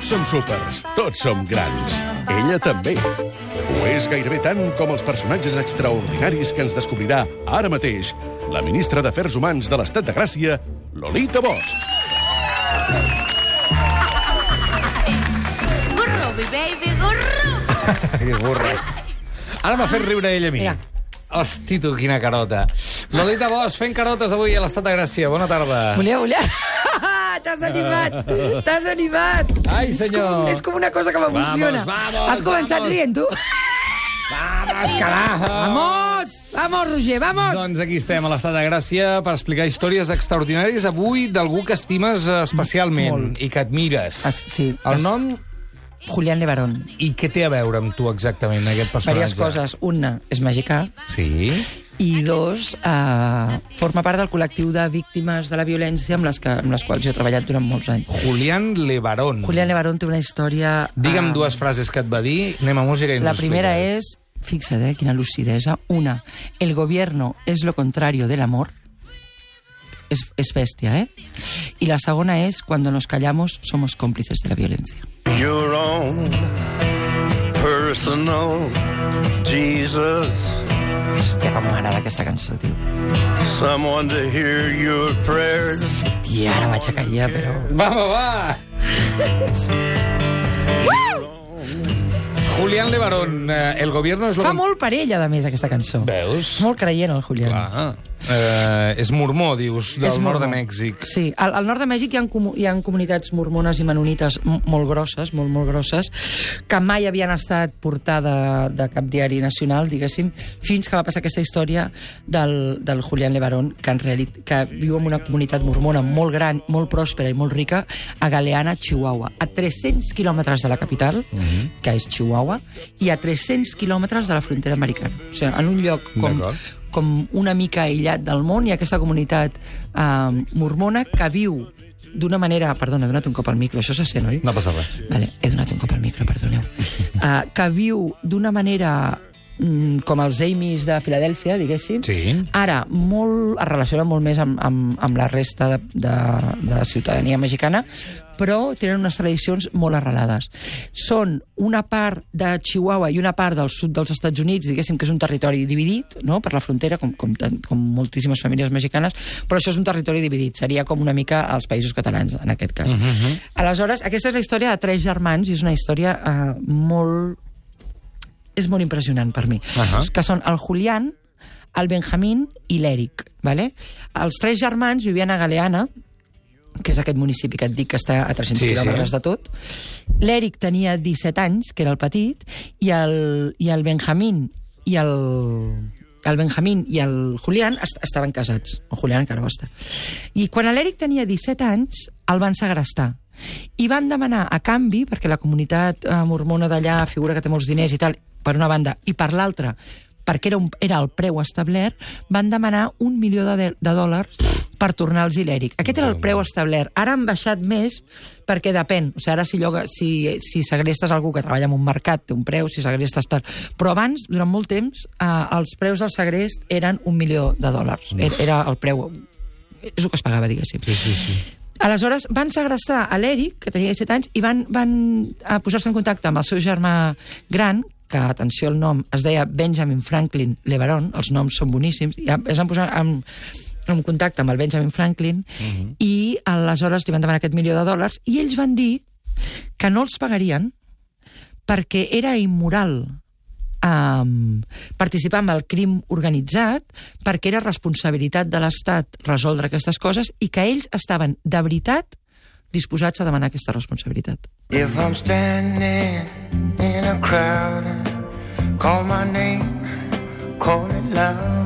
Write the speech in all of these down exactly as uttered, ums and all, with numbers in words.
Tots som súpers, tots som grans. Ella també. Ho és gairebé tant com els personatges extraordinaris que ens descobrirà ara mateix la ministra d'Afers Humans de l'Estat de Gràcia, Lolita Bosch. Gurro, mi baby, gurro! Que burra. Ara m'ha fet riure ella a mi. Mira. Hosti, tu, quina carota. Lolita Bosch, fent carotes avui a l'Estat de Gràcia. Bona tarda. Volia, volia... T'has animat! T'has animat! Ai, És senyor. com, és com una cosa que m'emociona. Vamos, vamos, Has començat vamos. rient, tu? Vamos, carajo! Vamos! Vamos, Roger, vamos! Doncs aquí estem, a l'Estat de Gràcia, per explicar històries extraordinàries avui d'algú que estimes especialment Molt. i que admires. Es- sí. El Es- nom Julián Levarón. i què té a veure amb tu exactament, aquest personatge? Diverses coses. Una, és mexicà. Sí? I dos, eh, forma part del col·lectiu de víctimes de la violència amb les, que, amb les quals jo he treballat durant molts anys. Julián Levarón. Julián Levarón té una història... Digue'm eh, dues frases que et va dir, anem a música i ens La ho primera expliques. es, fixa't, eh, quina lucidesa. Una, el gobierno es lo contrario del amor. Es, es bestia, ¿eh? Y la segona es, cuando nos callamos, somos cómplices de la violencia. Your own personal Jesus, Hòstia, com m'agrada aquesta cançó, tio. someone to hear your prayers. Tia, ara m'aixecaria, però... Va, va, va! Julián Levarón, eh, el gobierno es lo... Fa molt per ella, a més, aquesta cançó. Veus? És molt creient, el Julián. Clar. Eh, és mormó, dius, del És nord de mormó. Mèxic. Sí, al, al nord de Mèxic hi ha, comu hi ha comunitats mormones i menonites m- molt grosses, molt, molt grosses, que mai havien estat portada de cap diari nacional, diguéssim, fins que va passar aquesta història del, del Julián Levarón, que en realitat que viu en una comunitat mormona molt gran, molt pròspera i molt rica, a Galeana, Chihuahua, a tres-cents quilòmetres de la capital, Mhm. que és Chihuahua, i a tres-cents quilòmetres de la frontera americana. O sigui, en un lloc com D'acord. com una mica aïllat del món, hi ha aquesta comunitat eh, mormona que viu d'una manera... Perdona, he donat un cop al micro, això se sent, oi? No passa res. Vale, he donat un cop al micro, perdoneu. Uh, que viu d'una manera mm, com els Amis de Filadèlfia, diguéssim. Sí. Ara, molt, es relaciona molt més amb, amb, amb la resta de, de, de ciutadania mexicana, però tenen unes tradicions molt arrelades. Són una part de Chihuahua i una part del sud dels Estats Units, diguéssim que és un territori dividit, no?, per la frontera, com, com, tant- com moltíssimes famílies mexicanes, però això és un territori dividit. Seria com una mica els països catalans, en aquest cas. Mhm. Aleshores, aquesta és la història de tres germans i és una història eh, molt... és molt impressionant per mi. Ahà. Que són el Julián, el Benjamín i l'Eric. Vale? Els tres germans vivien a Galeana, que és aquest municipi que et dic que està a tres-cents Sí, quilòmetres sí. de tot. L'Eric tenia disset anys, que era el petit, i el, i el Benjamín i el, el Benjamín i el Julián est estaven casats. El Julián encara ho està. I quan l'Eric tenia disset anys, el van segrestar. I van demanar a canvi, perquè la comunitat eh, mormona d'allà figura que té molts diners i tal, per una banda, i per l'altra, perquè era, un, era el preu establert, van demanar un milió de, de dòlars per tornar-los l'Eric. Aquest era el preu establert. Ara han baixat més perquè depèn. O sigui, ara si, lloga, si, si segrestes algú que treballa en un mercat té un preu, si segrestes tal. Però abans, durant molt temps, eh, els preus del segrest eren un milió de dòlars. Era, era el preu... És el que es pagava, diguéssim. Sí, sí, sí. Aleshores, van segrestar a l'Eric, que tenia disset anys, i van, van a posar-se en contacte amb el seu germà gran, que, atenció al nom, es deia Benjamin Franklin Levarón, els noms són boníssims, i es van posar en, en contacte amb el Benjamin Franklin, uh-huh. i aleshores li van demanar aquest milió de dòlars, i ells van dir que no els pagarien perquè era immoral um, participar en el crim organitzat, perquè era responsabilitat de l'Estat resoldre aquestes coses, i que ells estaven, de veritat, disposats a demanar aquesta responsabilitat. If I'm standing in a crowd and call my name, call it loud.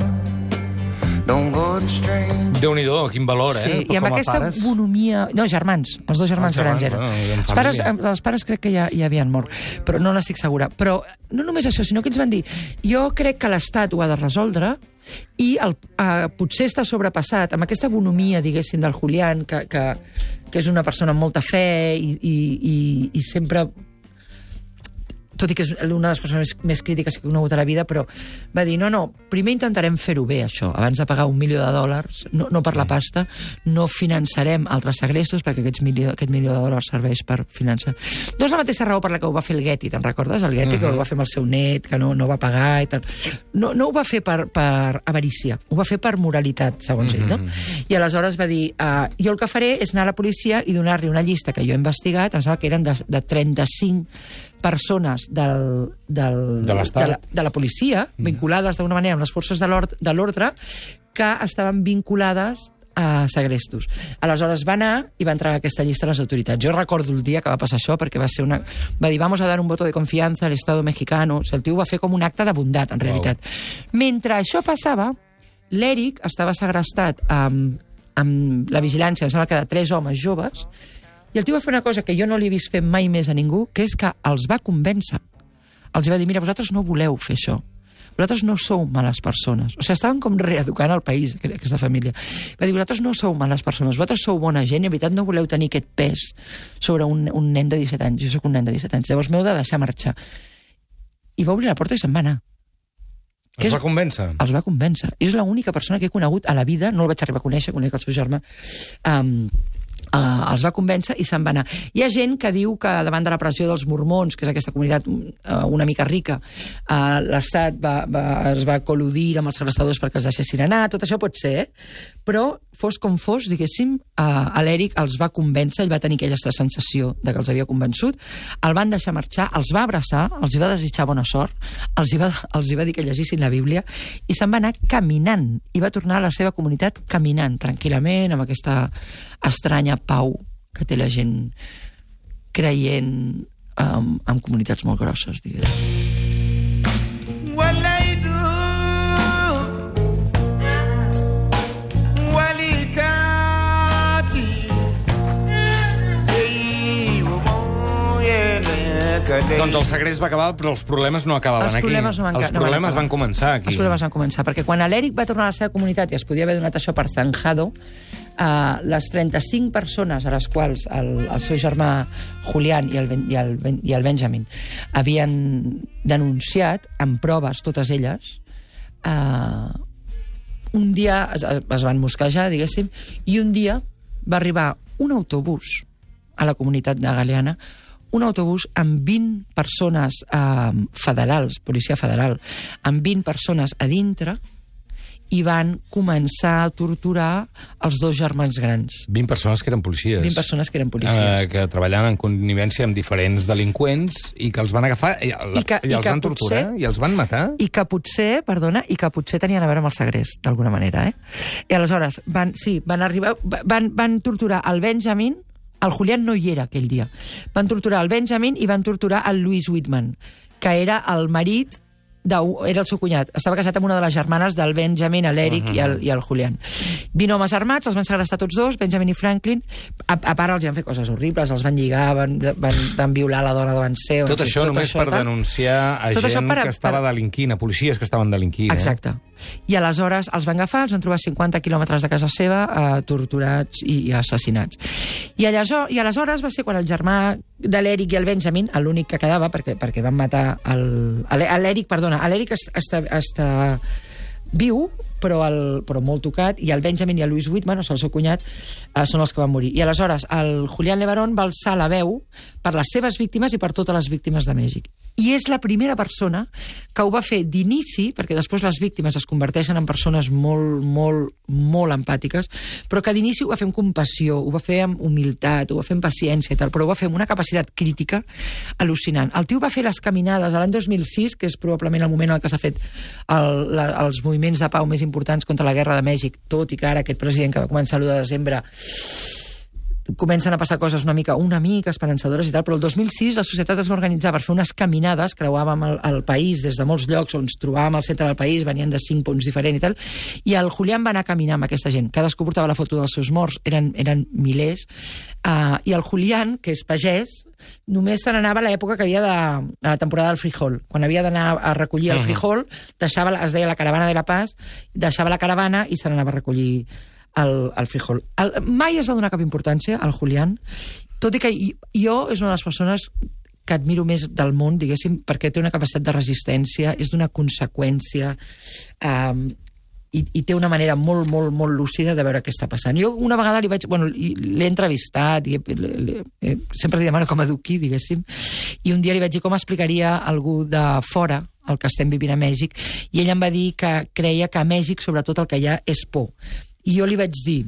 Don't go to strange. Déu-n'hi-do, quin valor, eh? Sí, i amb Com a aquesta pares. bonomia... No, germans, els dos germans Ah, germans, grans eren. bueno, en els, pares, família. els pares crec que ja, ja havien mort, però no n'estic segura. Però no només això, sinó que ens van dir jo crec que l'Estat ho ha de resoldre i el, eh, potser està sobrepassat amb aquesta bonomia, diguéssim, del Julián, que, que, que és una persona amb molta fe i, i, i, i sempre... tot i que és una de les persones més, més crítiques que he conegut a la vida, però va dir, no, no, primer intentarem fer-ho bé, això, abans de pagar un milió de dòlars, no, no per la pasta, no finançarem altres segrestos, perquè aquests milió, aquest milió de dòlars serveix per finançar. No és la mateixa raó per la que ho va fer el Getty, te'n recordes? El Getty, uh-huh. que ho va fer amb el seu net, que no, no va pagar i tal. No, no ho va fer per, per avarícia, ho va fer per moralitat, segons uh-huh. ell, no? I aleshores va dir, uh, jo el que faré és anar a la policia i donar-li una llista que jo he investigat, em sembla que eren de, de trenta-cinc persones del, del, de, de, la, de la policia, vinculades d'alguna manera amb les forces de l'ordre, que estaven vinculades a segrestos. Aleshores va anar i va entrar a aquesta llista a les autoritats. Jo recordo el dia que va passar això, perquè va ser una... Va dir, vamos a dar un voto de confianza al Estado mexicano. O sigui, el tio ho va fer com un acte de bondat, en realitat. Wow. Mentre això passava, l'Eric estava segrestat amb, amb la vigilància, em sembla que de tres homes joves, i el tio va fer una cosa que jo no li he vist fer mai més a ningú, que és que els va convèncer. Els va dir, mira, vosaltres no voleu fer això. Vosaltres no sou males persones. O sigui, estaven com reeducant el país, aquesta família. Va dir, vosaltres no sou males persones, vosaltres sou bona gent i, en veritat, no voleu tenir aquest pes sobre un, un nen de disset anys. Jo soc un nen de disset anys. Llavors m'heu de deixar marxar. I va obrir la porta i se'n va anar. Els és... va convèncer? Els va convèncer. És l'única persona que he conegut a la vida, no el vaig arribar a conèixer, conec el seu germà, um, Uh, els va convèncer i se'n va anar. Hi ha gent que diu que davant de la pressió dels mormons, que és aquesta comunitat uh, una mica rica, uh, l'Estat va, va, es va col·ludir amb els segrestadors perquè els deixessin anar, tot això pot ser, eh? Però fos com fos, diguéssim, uh, l'Eric els va convèncer, ell va tenir aquella sensació de que els havia convençut, el van deixar marxar, els va abraçar, els va desitjar bona sort, els hi va, els hi va dir que llegissin la Bíblia, i se'n va anar caminant, i va tornar a la seva comunitat caminant, tranquil·lament, amb aquesta estranya pau que té la gent creient um, en comunitats molt grosses, diguem. Well, I do. Well, I got it. Doncs el segrest va acabar, però els problemes no acabaven els aquí. Problemes no van, els no problemes van, van començar aquí. Els problemes van començar, perquè quan l'Eric va tornar a la seva comunitat i es podia haver donat això per zanjado, uh, les trenta-cinc persones a les quals el, el seu germà Julián i el, i, el, i el Benjamin havien denunciat, amb proves, totes elles, uh, un dia es, es van mosquejar, diguéssim, i un dia va arribar un autobús a la comunitat de Galeana, un autobús amb vint persones eh, federals, policia federal, amb vint persones a dintre, i van començar a torturar els dos germans grans. vint persones que eren policies. vint persones que eren policies. Eh, que treballaven en connivència amb diferents delinqüents i que els van agafar i, I, que, i els i van torturar potser, i els van matar. I que potser, perdona, i que potser tenien a veure amb el segrest, d'alguna manera, eh? I aleshores, van, sí, van arribar, van, van torturar el Benjamin. El Julián no hi era aquell dia. Van torturar el Benjamin i van torturar el Louis Whitman, que era el marit, de, era el seu cunyat. Estava casat amb una de les germanes del Benjamin, l'Eric uh-huh. i, el, i el Julián. vint homes armats, els van segrestar tots dos, Benjamin i Franklin. A, a part, els van fer coses horribles, els van lligar, van, van, van violar la dona davant seu. Tot això tot només això, per tal. denunciar a tot gent per, que estava per... delinquint, a policies que estaven delinquint. Exacte. Eh? I aleshores els van agafar, els van trobar cinquanta quilòmetres de casa seva, eh, torturats i, i assassinats. I, allò, I aleshores va ser quan el germà de l'Eric i el Benjamin, l'únic que quedava, perquè, perquè van matar l'Eric, perdona, l'Eric està, està viu, però, el, però molt tocat, i el Benjamin i el Louis Whitman, o sigui, el seu cunyat, eh, són els que van morir. I aleshores el Julián Levarón va alçar la veu per les seves víctimes i per totes les víctimes de Mèxic. I és la primera persona que ho va fer d'inici, perquè després les víctimes es converteixen en persones molt, molt, molt empàtiques, però que d'inici ho va fer amb compassió, ho va fer amb humilitat, ho va fer amb paciència i tal, però ho va fer amb una capacitat crítica al·lucinant. El tio va fer les caminades l'any dos mil sis, que és probablement el moment en què s'ha fet el, la, els moviments de pau més importants contra la guerra de Mèxic, tot i que ara aquest president que va començar l'u de desembre comencen a passar coses una mica una mica esperançadores i tal, però el dos mil sis la societat es va organitzar per fer unes caminades, creuàvem el, el país des de molts llocs on ens trobàvem al centre del país, venien de cinc punts diferents i tal, i el Julián va anar a caminar amb aquesta gent, cadascú portava la foto dels seus morts, eren, eren milers, uh, i el Julián, que és pagès, només se n'anava a l'època que havia de, a la temporada del frijol, quan havia d'anar a recollir el frijol, deixava, es deia la caravana de la Paz, deixava la caravana i se n'anava a recollir el, el frijol. El, mai es va donar cap importància al Julián, tot i que jo és una de les persones que admiro més del món, diguéssim, perquè té una capacitat de resistència, és d'una conseqüència, eh, i, i té una manera molt, molt, molt lúcida de veure què està passant. Jo una vegada li vaig... Bueno, l'he entrevistat, i, li, li, eh, sempre li demano com a eduqui, diguéssim, i un dia li vaig dir com explicaria a algú de fora el que estem vivint a Mèxic, i ell em va dir que creia que a Mèxic, sobretot, el que hi ha és por. I jo li vaig dir...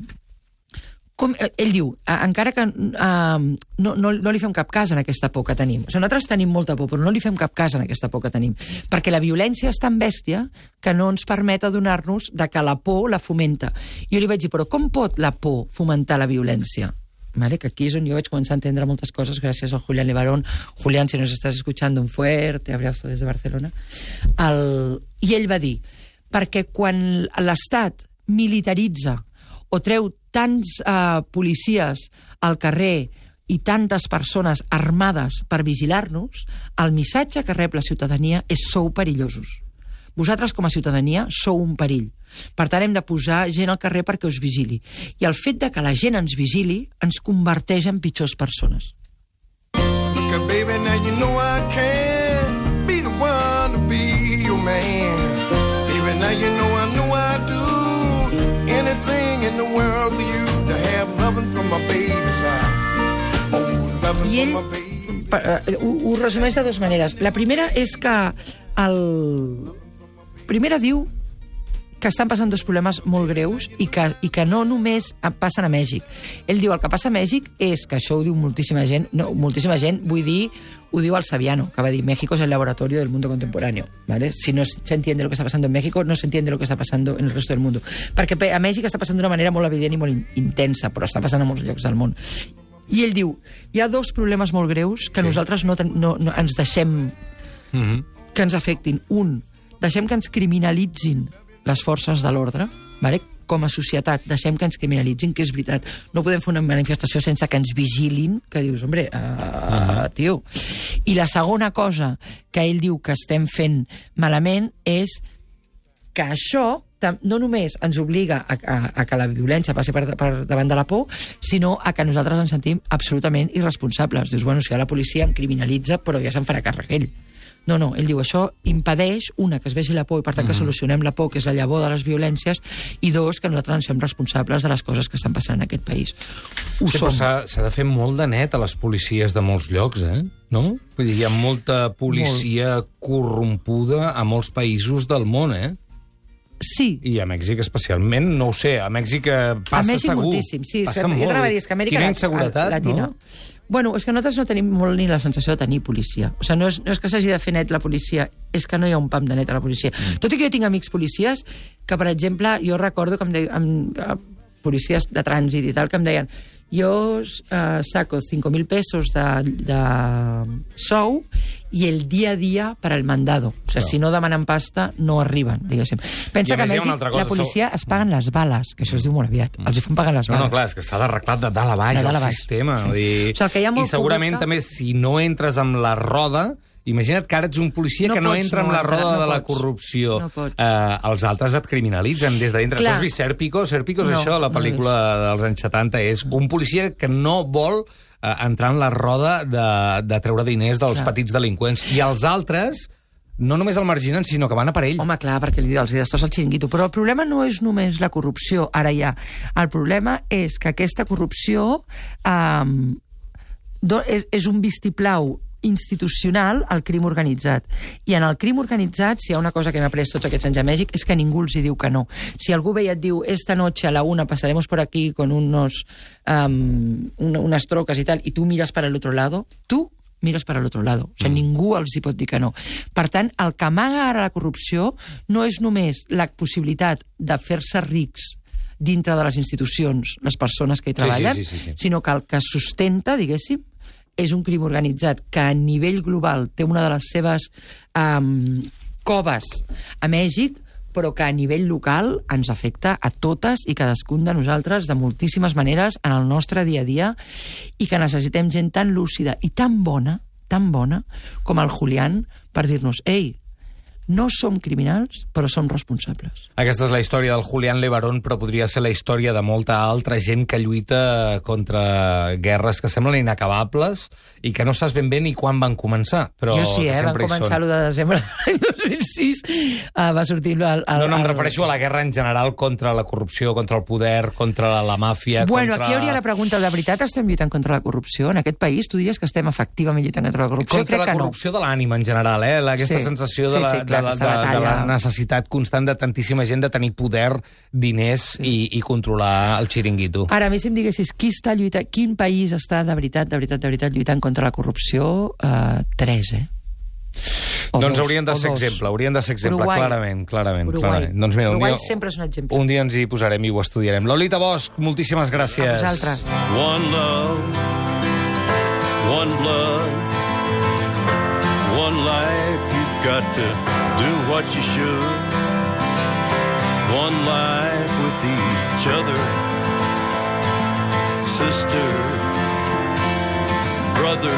Com, ell diu, encara que uh, no, no, no li fem cap cas en aquesta por que tenim. O sigui, nosaltres tenim molta por, però no li fem cap cas en aquesta por que tenim. Perquè la violència és tan bèstia que no ens permet adonar-nos de que la por la fomenta. Jo li vaig dir, però com pot la por fomentar la violència? Vale, que aquí és on jo vaig començar a entendre moltes coses gràcies a Julián Levarón. Julián, si nos estás escuchando, un fuerte abrazo des de Barcelona. El... I ell va dir, perquè quan l'Estat militaritza o treu tants eh, policies al carrer i tantes persones armades per vigilar-nos, el missatge que rep la ciutadania és sou perillosos. Vosaltres, com a ciutadania, sou un perill. Per tant, hem de posar gent al carrer perquè us vigili. I el fet de que la gent ens vigili ens converteix en pitjors persones. Look, baby, now you know I can't be the one to be your man. Baby, now you know I know I do anything in the world for you to have loving from my baby's side. Oh, loving I ell from my baby. uh, ho, ho resumeix de dues maneres. La primera és que el... Primera diu que estan passant dos problemes molt greus i que, i que no només passen a Mèxic. Ell diu el que passa a Mèxic és, que això ho diu moltíssima gent, no, moltíssima gent, vull dir, ho diu el Saviano, que va dir México es el laboratorio del mundo contemporáneo, ¿vale? Si no se entiende lo que está pasando en México, no se entiende lo que está pasando en el resto del mundo. Perquè a Mèxic està passant d'una manera molt evident i molt intensa, però està passant a molts llocs del món. I ell diu, hi ha dos problemes molt greus que sí. nosaltres no, no, no ens deixem mm-hmm. que ens afectin. Un, deixem que ens criminalitzin les forces de l'ordre, vale? Com a societat, deixem que ens criminalitzin, que és veritat. No podem fer una manifestació sense que ens vigilin, que dius, hombre, uh, uh-huh. tio. I la segona cosa que ell diu que estem fent malament és que això no només ens obliga a, a, a que la violència passi per, per davant de la por, sinó a que nosaltres ens sentim absolutament irresponsables. Dius, bueno, si la policia em criminalitza, però ja se'n farà càrrec ell. No, no, ell diu, això impedeix, una, que es vegi la por i per tant que solucionem la por, que és la llavor de les violències, i dos, que nosaltres ens fem responsables de les coses que estan passant en aquest país. Ho sí, som. Però s'ha de fer molt de net a les policies de molts llocs, eh? No? Vull dir, hi ha molta policia molt. corrompuda a molts països del món, eh? Sí. I a Mèxic especialment, no ho sé, a Mèxic passa a Mèxic segur. moltíssim, sí. Passa jo molt. Dir, és que Amèrica Quina inseguretat, Latina. no? Bueno, és que nosaltres no tenim molt ni la sensació de tenir policia. O sigui, no és, no és que s'hagi de fer net la policia, és que no hi ha un pam de net a la policia. Mm. Tot i que jo tinc amics policies que, per exemple, jo recordo que em deien, amb, amb policies de trànsit i tal, que em deien, jo uh, saco cinco mil pesos de, de sou i el dia a dia per al mandado. O sigui, no. si no demanen pasta, no arriben, diguéssim. Pensa que a Mèxic la policia sou... es paguen les bales, que això es diu molt aviat. Mm. Els hi fan pagar les bales. No, no, clar, és que s'ha d'arreglar de dalt a baix el sistema. Sí. Dir... O sigui, que hi ha molt I segurament corrupte... també, si no entres amb la roda... Imagina't que ara ets un policia no que no pots, entra no, amb la roda no de la pots. corrupció. No eh, els altres et criminalitzen des de dintre. Tu has vist Sérpico? Sérpico és no, això, la pel·lícula no dels anys setanta. És un policia que no vol eh, entrar en la roda de, de treure diners dels clar. petits delinqüents. I els altres... no només el marginen, sinó que van a per ell. Home, clar, perquè li els destrossa el xiringuito. Però el problema no és només la corrupció, ara ja. El problema és que aquesta corrupció eh, és, és un vistiplau institucional al crim organitzat. I en el crim organitzat, si hi ha una cosa que hem après tots aquests anys a Mèxic, és que ningú els hi diu que no. Si algú ve i et diu, esta noche a la una pasaremos por aquí con unos, um, una, unas trocas y tal, i tu mires para el otro lado, tu mires para el otro lado. O sigui, mm. ningú els hi pot dir que no. Per tant, el que amaga ara la corrupció no és només la possibilitat de fer-se rics dintre de les institucions, les persones que hi treballen, sí, sí, sí, sí. sinó que el que sustenta, diguéssim, és un crim organitzat que a nivell global té una de les seves um, coves a Mèxic, però que a nivell local ens afecta a totes i cadascun de nosaltres de moltíssimes maneres en el nostre dia a dia i que necessitem gent tan lúcida i tan bona, tan bona, com el Julián, per dir-nos, ei, No som criminals, però som responsables. Aquesta és la història del Julián Levarón, però podria ser la història de molta altra gent que lluita contra guerres que semblen inacabables i que no saps ben bé ni quan van començar. Però jo sí, eh? Van començar l'u de desembre de l'any dos mil sis. Uh, va sortir... El, el, no, no, em el... refereixo a la guerra en general contra la corrupció, contra el poder, contra la, la màfia... Bueno, contra... aquí hauria la pregunta, de veritat estem lluitant contra la corrupció? En aquest país tu diries que estem efectivament lluitant contra la corrupció? Contra Crec la que corrupció no. de l'ànima, en general, eh? Aquesta sí. sensació de, sí, la, sí, clar, de, la, de, de la necessitat constant de tantíssima gent de tenir poder, diners sí. i, i controlar el xiringuito. Ara, a mi si em diguessis qui està lluitant, quin país està de veritat, de veritat, de veritat lluitant contra la corrupció, uh, tres, eh? O doncs dos, haurien de ser exemple, haurien de ser exemple, Uruguai. clarament, clarament. Uruguai. clarament. Doncs mira, un Uruguai dia, sempre és un exemple. Un dia ens hi posarem i ho estudiarem. Lolita Bosch, moltíssimes gràcies. A vosaltres. One love, one blood, one life, you've got to do what you should. One life with each other, sister, brother.